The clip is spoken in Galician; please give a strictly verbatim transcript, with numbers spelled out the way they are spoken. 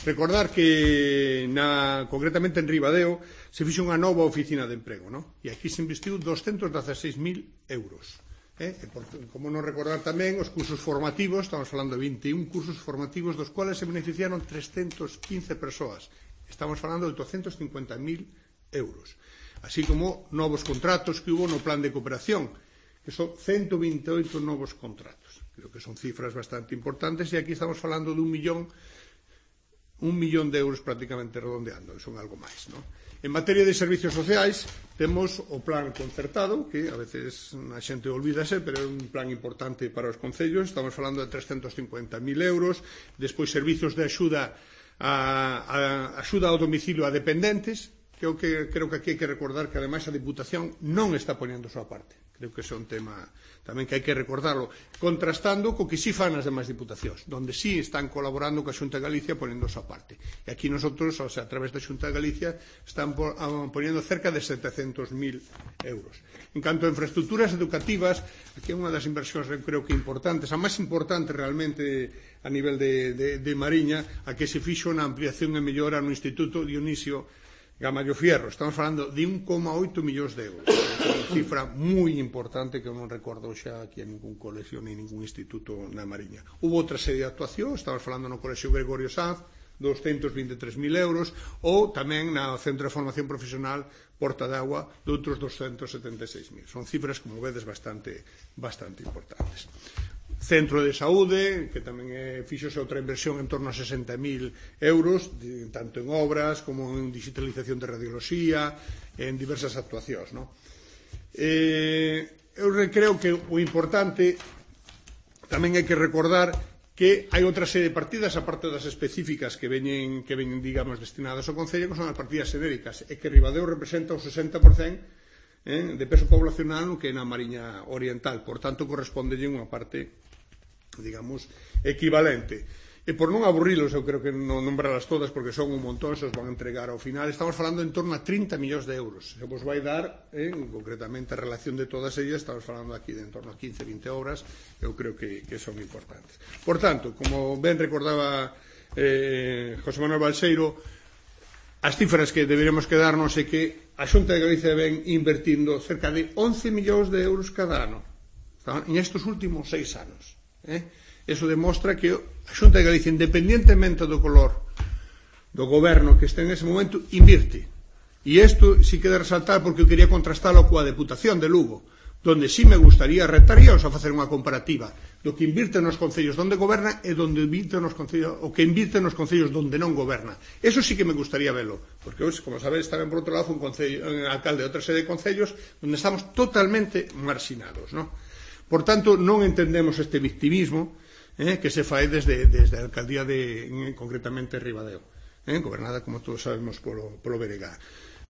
recordar que na, concretamente en Ribadeo se fixo unha nova oficina de emprego, ¿no? E aquí se investiu doscientos dieciséis mil euros. Eh? E por, como non recordar tamén os cursos formativos, estamos falando de vinte e un cursos formativos dos cuales se beneficiaron trescientas quince persoas. Estamos falando de doscientos cincuenta mil euros. Así como novos contratos que hubo no plan de cooperación, que son ciento veintiocho novos contratos. Creo que son cifras bastante importantes e aquí estamos falando de un millón un millón de euros prácticamente redondeando, son algo máis, ¿no? En materia de servicios sociais temos o plan concertado, que a veces a xente olvídase, pero é un plan importante para os concellos. Estamos falando de trescentos cincuenta mil euros. Despois servicios de axuda a, a axuda ao domicilio a dependentes. Creo que, creo que aquí hai que recordar que ademais a Diputación non está poñendo a súa parte. Creo que ese é un tema tamén que hai que recordarlo, contrastando co que sí fan as demais diputacións, donde sí están colaborando coa Xunta de Galicia poñendo a súa parte. E aquí nosotros, o sea, a través da Xunta de Galicia, están poñendo cerca de setecentos mil euros. En canto a infraestructuras educativas, aquí é unha das inversións, creo que importantes, a máis importante realmente a nivel de, de, de Mariña, a que se fixo na ampliación e mellora no Instituto Dionisio Gamallo Fierro. Estamos falando de un coma oito millóns de euros. Unha cifra moi importante que eu non recordo xa aquí en ningún colegio ni ningún instituto na Mariña. Hubo outra serie de actuación, estamos falando no Colexio Gregorio Sanz, doscientos vinte e tres mil euros, ou tamén no Centro de Formación Profesional Porta de Agua de outros doscientos setenta e seis mil. Son cifras, como vedes, bastante, bastante importantes. Centro de Saúde, que tamén é, fixose outra inversión en torno a sesenta mil euros, de, tanto en obras como en digitalización de radioloxía, en diversas actuacións, ¿no? Eh, eu creo que o importante tamén hai que recordar que hai outra serie de partidas, aparte das específicas que veñen, que veñen digamos, destinadas ao Concello, que son as partidas xenéricas, e que Ribadeo representa o sesenta por cento eh, de peso poblacional no que é na Mariña Oriental. Por tanto, correspondelle unha parte, digamos, equivalente. E por non aburrilos, eu creo que non nombrarlas todas porque son un montón, se os van a entregar ao final. Estamos falando en torno a trinta millóns de euros. Se vos vai dar, eh, concretamente a relación de todas ellas, estamos falando aquí de en torno a quince, vinte obras, eu creo que, que son importantes. Por tanto, como ben recordaba eh, José Manuel Balseiro, as cifras que deberemos quedarnos é que a Xunta de Galicia ven invertindo cerca de once millóns de euros cada ano en estes últimos seis anos. Eh? Eso demostra que a Xunta de Galicia, independientemente do color do goberno que este en ese momento, invirte. E isto sí que de resaltar porque eu quería contrastalo coa Deputación de Lugo, donde sí me gustaría, retaríaos a facer unha comparativa do que invirte nos concellos donde goberna e donde invirte nos concellos, o que invirte nos concellos donde non goberna. Eso sí que me gustaría velo, porque hoxe, como sabedes, tamén por outro lado un, concello, un alcalde de outra serie de concellos onde estamos totalmente marxinados, ¿no? Por tanto, non entendemos este victimismo eh, que se fai desde, desde a alcaldía de, concretamente, Ribadeo, eh, gobernada, como todos sabemos, polo, polo B N G.